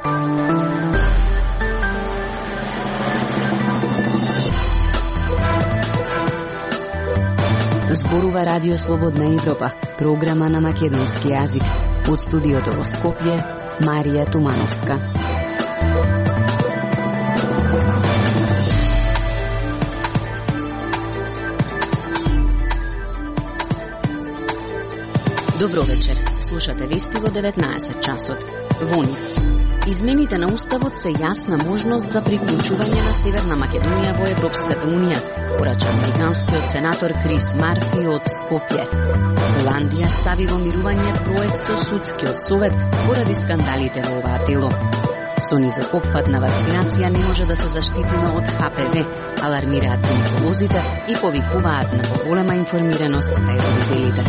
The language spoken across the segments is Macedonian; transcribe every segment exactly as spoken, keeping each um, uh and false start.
Зборува Радио Слободна Европа, програма на македонски јазик. Од студиото во Скопје, Марија Тумановска. Добро вечер. Слушате вести во деветнаесет часот. Во нив. Измените на Уставот се јасна можност за приклучување на Северна Македонија во Европската Унија, порача американскиот сенатор Крис Марфи од Скопје. Холандија стави во мирување проект со судскиот совет поради скандалите во оваа тело. Со низок опфат на вакцинација не може да се заштитиме од Х П В, алармираат гинеколозите и повикуваат на поголема информираност кај родителите.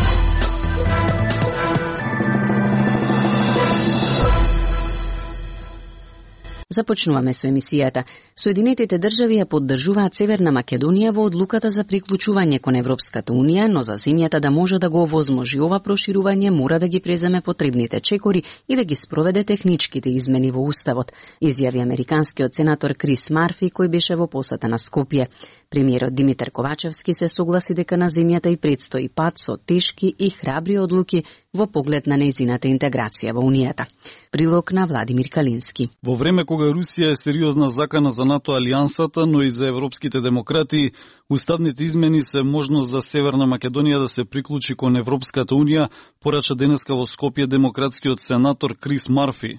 Започнуваме со емисијата. Соединетите држави ја поддржуваат Северна Македонија во одлуката за приклучување кон Европската Унија, но за земјата да може да го овозможи ова проширување мора да ги преземе потребните чекори и да ги спроведе техничките измени во Уставот, изјави американскиот сенатор Крис Марфи, кој беше во посета на Скопје. Премиерот Димитар Ковачевски се согласи дека на земјата и предстои пат со тешки и храбри одлуки во поглед на нејзината интеграција во Унијата. Прилог на Владимир Калински. Во време кога Русија е сериозна закана за НАТО алијансата, но и за европските демократи, уставните измени се можност за Северна Македонија да се приклучи кон Европската Унија, порача денеска во Скопје демократскиот сенатор Крис Марфи.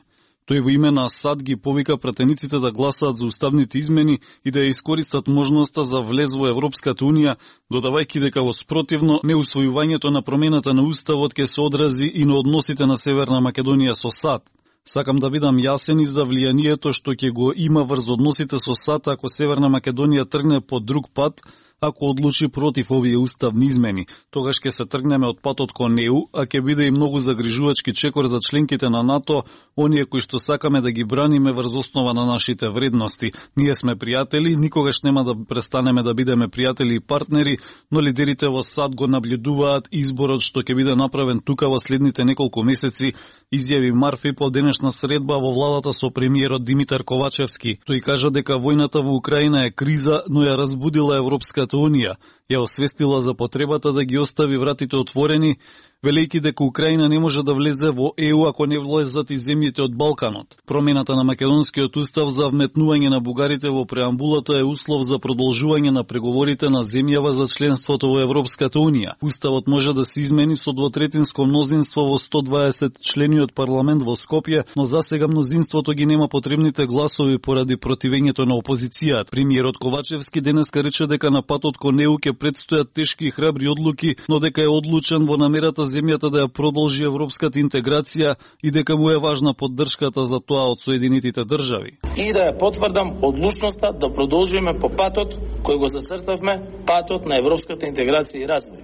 Тој во име на САД ги повика пратениците да гласаат за уставните измени и да ја искористат можноста за влез во Европската Унија, додавајќи дека во спротивно неусвојувањето на промената на Уставот ќе се одрази и на односите на Северна Македонија со САД. Сакам да бидам јасен и за влијанието што ќе го има врз односите со САД ако Северна Македонија тргне по друг пат, ако одлучи против овие уставни измени. Тогаш ќе се тргнеме од патот кон Е У, а ќе биде и многу загрижувачки чекор за членките на НАТО, оние кои што сакаме да ги браниме врз основа на нашите вредности. Ние сме пријатели, никогаш нема да престанеме да бидеме пријатели и партнери, но лидерите во САД го наблюдуваат изборот што ќе биде направен тука во следните неколку месеци, изјави Марфи по денешна средба во владата со премиерот Димитар Ковачевски. Тој кажа дека војната во Украина е криза, но ја разбудила Европската Унија, ја освестила за потребата да ги остави вратите отворени, велејќи дека Украина не може да влезе во Е У ако не влезат и земјите од Балканот. Промената на македонскиот устав за вметнување на бугарите во преамбулата е услов за продолжување на преговорите на земјава за членството во Европската Унија. Уставот може да се измени со двотретинско мнозинство во сто дваесет члениот парламент во Скопје, но засега мнозинството ги нема потребните гласови поради противењето на опозицијата. Премиерот Ковачевски денеска рече дека на патот кон Е У ќе предстојат тешки и храбри одлуки, но дека е одлучен во намерата земјата да ја продолжи европската интеграција и дека му е важна поддршката за тоа од Соединетите држави. И да ја потврдам одлучноста да продолжиме по патот кој го зацртавме, патот на европската интеграција и развој.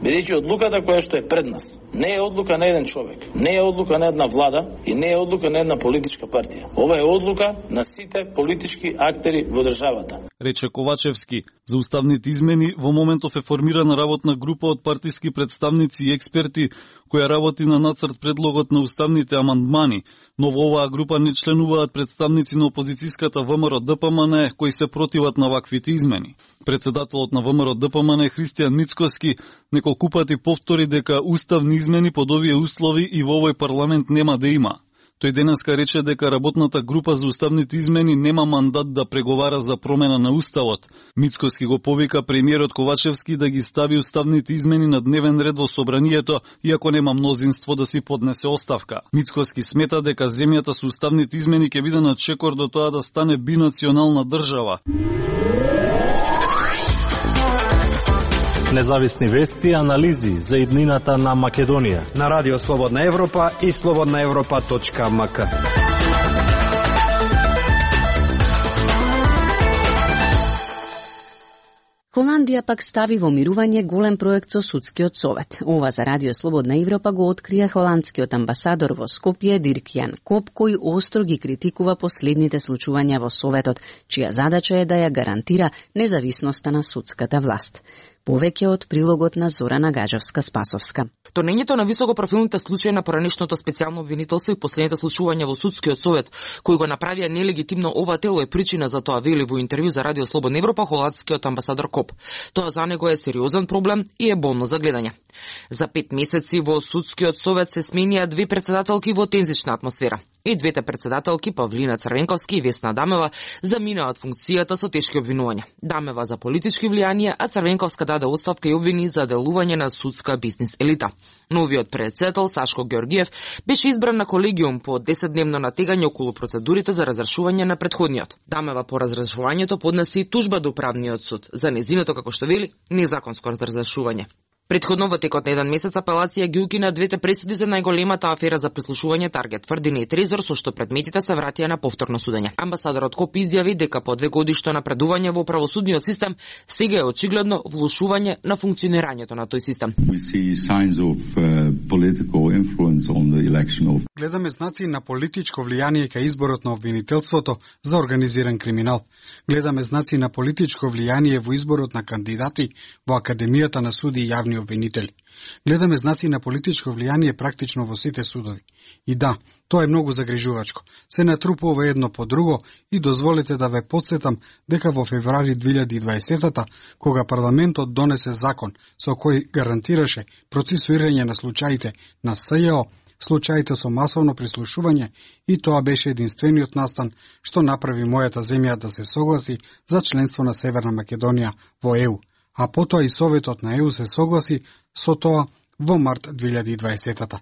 Бидејќи одлуката која што е пред нас не е одлука на еден човек, не е одлука на една влада и не е одлука на една политичка партија. Ова е одлука на сите политички актери во државата. Рече Ковачевски. За уставните измени во моментов е формирана работна група од партиски представници и експерти која работи на нацрт предлогот на уставните амандмани, но во оваа група не членуваат представници на опозицијската В М Р Д П М Н кои се противат на ваквите измени. Председателот на В М Р Д П М Н Христијан Мицкоски неколку пати повтори дека уставни измени под овие услови и во овој парламент нема да има. Тој денеска рече дека работната група за уставните измени нема мандат да преговара за промена на уставот. Мицкоски го повика премиерот Ковачевски да ги стави уставните измени на дневен ред во собранието, иако нема мнозинство да си поднесе оставка. Мицкоски смета дека земјата со уставните измени ќе биде на чекор до тоа да стане бинационална држава. Независни вести и анализи за иднината на Македонија на Радио Слободна Европа и слободна европа точка м к. Холандија пак стави во мирување голем проект со судскиот совет. Ова за Радио Слободна Европа го открија холандскиот амбасадор во Скопје Дирк Јан Коп, кој остро ги критикува последните случувања во советот, чија задача е да ја гарантира независноста на судската власт. Повеќе од прилогот на Зорана Гаджевска-Спасовска. Тонењето на високопрофилните случаи на поранешното специјално обвинителство и последните слушувања во судскиот совет, кои го направија нелегитимно ова тело, е причина за тоа, вели во интервју за Радио Слободна Европа холандскиот амбасадор Коп. Тоа за него е сериозен проблем и е болно за гледање. За пет месеци во судскиот совет се сменија две председателки во тензична атмосфера. И двете председателки, Павлина Црвенковски и Весна Дамева, заминаа од функцијата со тешки обвинувања. Дамева за политички влијанија, а Црвенковска даде оставка и обвини за делување на судска бизнис елита. Новиот председател Сашко Георгиев беше избран на колегиум по десетдневно натегање околу процедурите за разрешување на претходниот. Дамева по разрешувањето поднеси тужба до управниот суд за незиното, како што вели, незаконско разрешување. Предходно во текот на еден месец апелација ги укина двете пресуди за најголемата афера за прислушување Таргет, тврдина и Трезор, со што предметите се вратија на повторно судење. Амбасадорот Коп изјави дека по две годишно напредување во правосудниот систем сега е очигледно влошување на функционирањето на тој систем. Гледаме знаци на политичко влијание кај изборот на обвинителството за организиран криминал. Гледаме знаци на политичко влијание во изборот на кандидати во Академијата на суди и јавни обвинители. Гледаме знаци на политичко влијание практично во сите судови. И да, тоа е многу загрижувачко. Се натрупува едно по друго и дозволете да ве потсетам дека во февруари две илјади и дваесета, кога парламентот донесе закон со кој гарантираше процесуирање на случаите на СЈО, случаите со масовно прислушување, и тоа беше единствениот настан што направи мојата земја да се согласи за членство на Северна Македонија во Е У. А потоа и Советот на Е У се согласи со тоа во март две илјади и дваесета.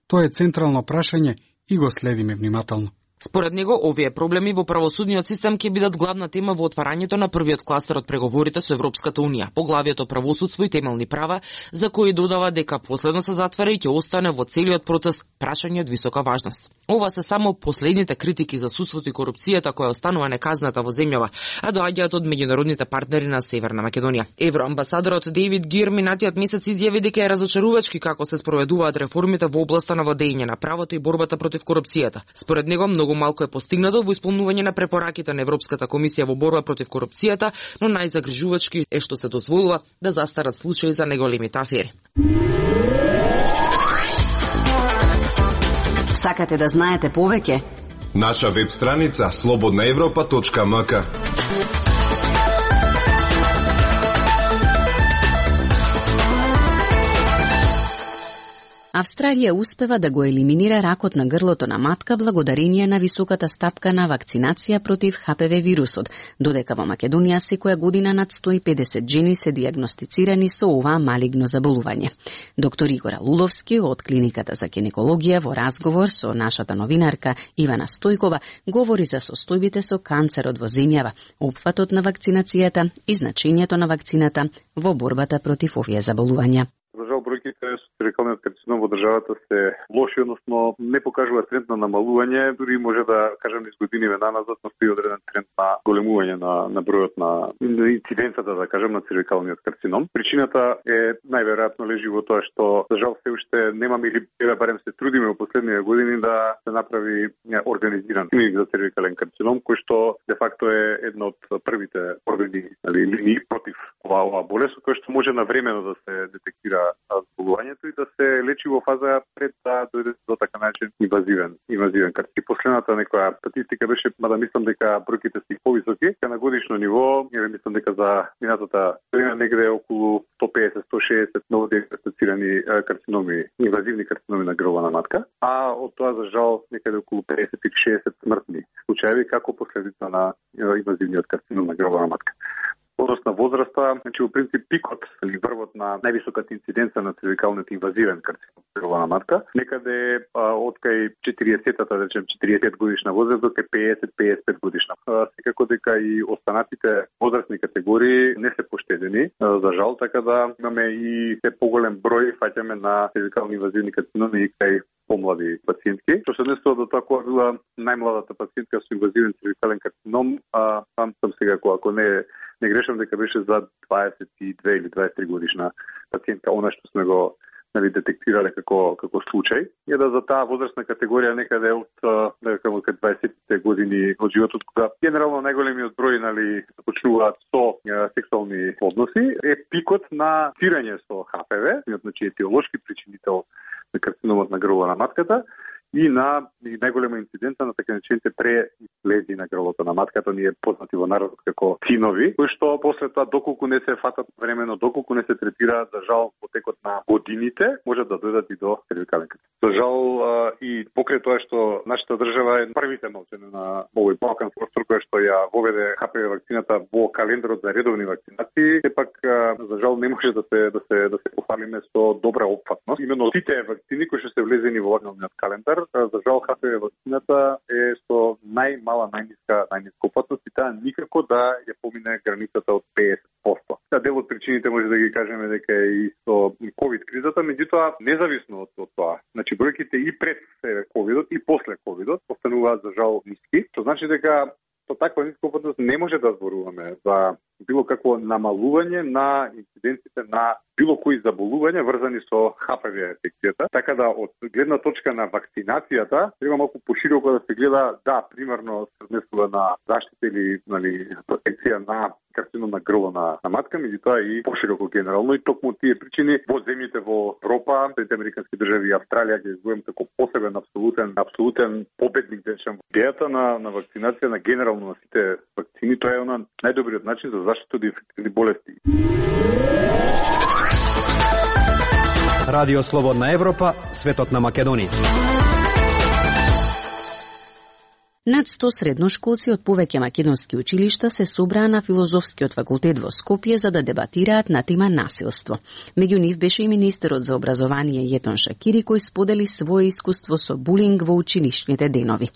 Тоа е централно прашање и го следиме внимателно. Според него, овие проблеми во правосудниот систем ќе бидат главна тема во отварањето на првиот кластер од преговорите со Европската Унија, поглавието правосудство и темелни права, за кои додава дека последно се затвара и ќе остане во целиот процес прашање од висока важност. Ова се само последните критики за судството и корупцијата која останува неказната во земјава, а доаѓаат од меѓународните партнери на Северна Македонија. Евроамбасадорот Дейвид Гир минатиот месец изјави дека е разочарувачки како се спроведуваат реформите во областа на владење на правото и борбата против корупцијата. Според него, многу малку е постигнато во исполнување на препораките на Европската комисија во борба против корупцијата, но најзагрижувачки е што се дозволува да застарат случаи за неголемите афери. Сакате да знаете повеќе? Наша веб страница слободна европа точка ем ка. Австралија успева да го елиминира ракот на грлото на матка благодарение на високата стапка на вакцинација против Х П В вирусот, додека во Македонија секоја година над сто и педесет жени се дијагностицирани со оваа малигно заболување. Доктор Игора Луловски од Клиниката за гинекологија во разговор со нашата новинарка Ивана Стојкова говори за состојбите со канцерот во земјава, опфатот на вакцинацијата и значењето на вакцината во борбата против овие заболувања. За жал, бројките со цервикалниот карцином во државата се лоши, односно не покажува тренд на намалување, дури може да кажем низ годиниве наназад настои одреден тренд на големување на, на бројот на инциденцата, да кажем, на цервикалниот карцином. Причината е најверојатно лежи во тоа што за жал се уште немаме или барем се трудиме во последниве години да се направи организиран клиник за цервикален карцином, кој што де факто е една од првите органи или линии против оваа ова болест, кој што може навремено да се детектира заболувањето и да се лечи во фаза пред да дојде до така начин инвазивен, инвазивен карцином. Последната некоја статистика беше, мада мислам дека бројките се повисоки, на годишно ниво, ја мислам дека за минатата година негде околу сто педесет до сто шеесет ново диагностицирани карциноми, инвазивни карциноми на грлова на матка, а од тоа за жал некаде околу педесет и шеесет смртни случаи како последица на инвазивниот карцином на грлова на матка. Однос на возраста, значи во принцип пикот или врвот на највисоката инциденца на цервикалниот инвазивен карцином на грлова матка, некаде од кај четириесетата, да речем четириесет годишна возраст до кај педесет до педесет и пет годишна. Секако дека и останатите возрастни категории не се поштедени, за жал, така да имаме и се поголем број фаќаме на цервикални инвазивни карциноми и кај помлади пациентки. Што се однесува до тоа која била најмладата пациентка со инвазивен цервикален карцином, а сам сам сега ако не не грешам дека беше за дваесет и две или дваесет и три годишна пациентка, она што сме го нели детектирале како како случај, е да за таа возрастна категорија некаде од некако од дваесетте години од животот, кога генерално најголемиот број нели почнуваат со сексуални односи, е пикот на инфицирање со Х П В, значи етиолошки причинител на карциномот на грло на матката, и на и најголема инциденца на така наречените преизлези на грлото на матката, ние познати во народот како цинови, кои што после тоа доколку не се фатат времено, доколку не се третираат, за жал во текот на годините можат да дојдат и до цервикален карцин. За жал и покрај тоа што нашата држава е првите малцина на овој Балкан простор кој што ја воведе Х П В вакцината во календарот за редовни вакцинации, сепак за жал не може да се да се да се пофалиме со добра опфатност. Именно сите вакцини кои што се влезени во вакциниот календар, за жал Х П В вакцината е со најмала, најниска, најниска опасност и таа никако да ја помине границата од петдесет проценти. Та дел од причините може да ги кажеме дека е и со ковид кризата, меѓутоа независно од, од тоа. Значи бројките и пред ковидот и после ковидот остануваат за жал ниски. Тоа значи дека со таква ниска опасност не може да зборуваме за било какво намалување на инциденците на било кои заболувања врзани со Х П В инфекцијата. Така да од гледна точка на вакцинацијата треба малку пошироко да се гледа, да, примерно сооднесува на заштита или нели протекција на карцином на грло на, на матка, меѓутоа и пошироко генерално, и токму тие причини во земјите во Европа, Саединетите американски држави и Австралија ги избројам како посебен апсолутен апсолутен победник дечем. Идејата на на вакцинација на генерално на сите вакцини, тоа е она најдобриот начин за заштита од инфекцијни болести. Радио Слободна Европа, светот на Македонија. Над сто средношколци од повеќе македонски училишта се собраа на Филозофскиот факултет во Скопје за да дебатираат на тема насилство. Меѓу нив беше и министерот за образование Јетон Шакири, кој сподели свое искуство со булинг во училишните денови.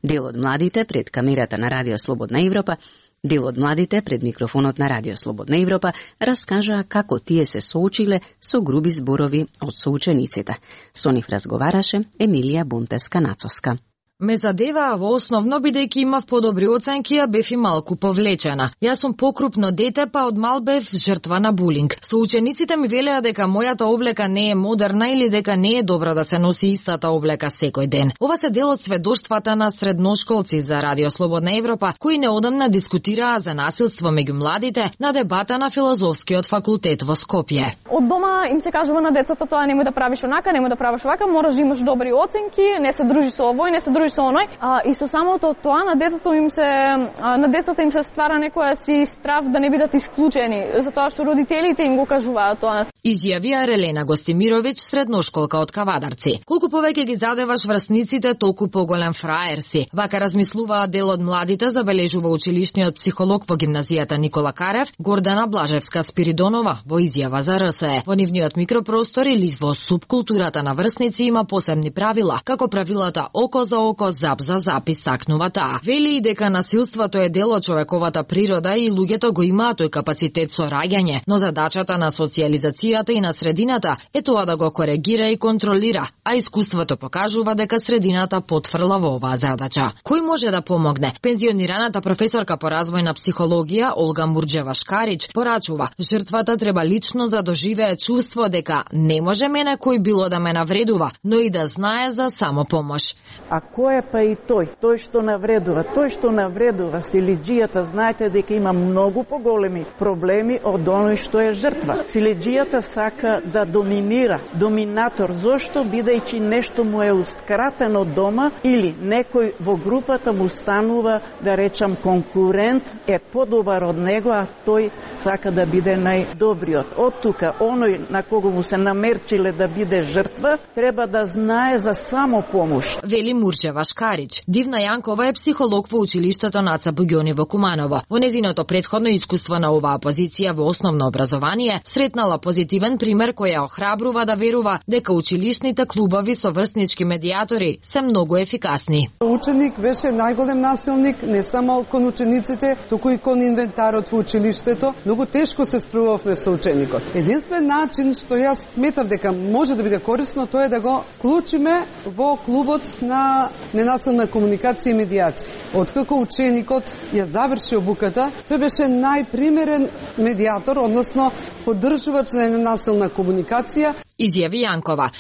Дел од младите пред камерата на Радио Слободна Европа Дел од младите пред микрофонот на Радио Слободна Европа раскажаа како тие се соочиле со груби зборови од соучениците. Со нив разговараше Емилија Бунтеска-Нацовска. Ме задеваа во основно бидејќи имав подобри оценки, а бев и малку повлечена. Јас сум покрупно дете, па од мал бев жртва на булинг. Соучениците ми велеа дека мојата облека не е модерна или дека не е добра да се носи истата облека секој ден. Ова се дел од сведоштвата на средношколци за Радио Слободна Европа, кои неодамна дискутираа за насилство меѓу младите на дебата на Филозофскиот факултет во Скопје. Од дома им се кажува на децата тоа немој да правиш онака, немој да правиш овака, мораш да имаш добри оценки, не се дружи со овој, не се дружи со оној, а, и со самото тоа на детето им се а, на децата им се ствара некоја си страв да не бидат исклучени, затоа што родителите им го кажуваат тоа. Изјавија Релена Гостимировиќ, средношколка од Кавадарци. Колку повеќе ги задеваш врсниците, толку поголем фраер си. Вака размислуваа дел од младите, забележува училишниот психолог во гимназијата Никола Карев, Гордана Блажевска-Спиридонова, во изјава за Р С Е. Во нивниот микропростор или во субкултурата на врсници има посебни правила, како правилата око за око, зап за зап, истакнува таа. Вели и дека насилството е дел од човековата природа и луѓето го имаат тој капацитет со раѓање, но задачата на социјализацијата и на средината е тоа да го коригира и контролира, а искуството покажува дека средината потфрла во оваа задача. Кој може да помогне? Пензионираната професорка по развојна психологија Олга Мурџева-Шкарич порачува, жртвата треба лично да доживее чувство дека не може мене кој било да ме навредува, но и да знае за самопомош. А кој е па и тој? Тој што навредува, тој што навредува силиџијата, знаете дека има многу поголеми проблеми од оној што е жртва. Силиџијата сака да доминира, доминатор, зошто бидејќи нешто му е ускратено дома или некој во групата му станува, да речам, конкурент, е подобар од него, а тој сака да биде најдобриот. Од тука, оној на кого му се намерчиле да биде жртва, треба да знае за самопомош. Вели Мурџева-Шкарич. Дивна Јанкова е психолог во училиштето Наца Буѓони во Куманово. Во незиното претходно искуство на оваа позиција во основно образование, сретнала позитивен пример кој ја охрабрува да верува дека училишните клубови со врснички медијатори се многу ефикасни. Ученик беше најголем насилник не само кон учениците, туку и кон инвентарот во училиштето. Многу тешко се справувавме со ученикот. Единствен начин што јас сметам дека може да биде корисно, тоа е да го вклучиме во клубот на ненасилна комуникација и медијација. откако ученикот ја заврши обуката, тој беше најпримерен медиатор, односно поддржувач на ненасилна комуникација. Изјави Јанкова.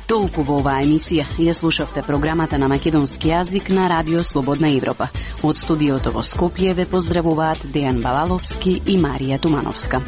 Толку во оваа емисија. Ја слушавте програмата на македонски јазик на Радио Слободна Европа. Од студиото во Скопје ве поздравуваат Дејан Балаловски и Марија Тумановска.